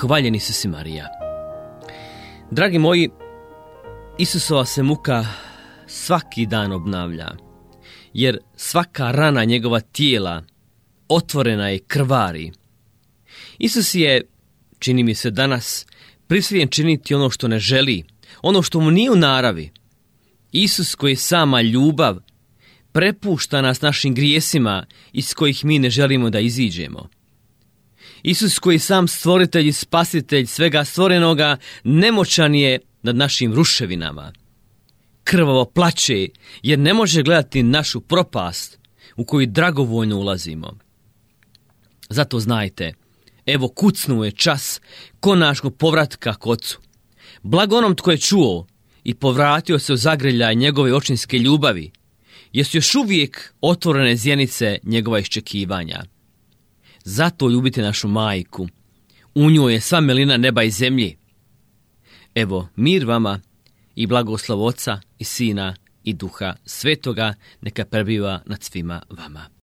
Hvaljen Isus i Marija. Dragi moji, Isusova se muka svaki dan obnavlja, jer svaka rana njegova tijela otvorena je krvari. Isus je, čini mi se danas, prisiljen činiti ono što ne želi, ono što mu nije u naravi. Isus koji je sama ljubav prepušta nas našim grijesima iz kojih mi ne želimo da iziđemo. Isus koji je sam stvoritelj i spasitelj svega stvorenoga nemoćan je nad našim ruševinama. Krvavo plače jer ne može gledati našu propast u koju dragovoljno ulazimo. Zato znajte, evo kucnuo je čas konačnog povratka k Ocu. Blago onom tko je čuo i povratio se u zagrljaj njegove očinske ljubavi, jer su još uvijek otvorene zjenice njegova iščekivanja. Zato ljubite našu majku. U njoj je sva milina neba i zemlje. Evo, mir vama i blagoslov Oca i Sina i Duha Svetoga neka prebiva nad svima vama.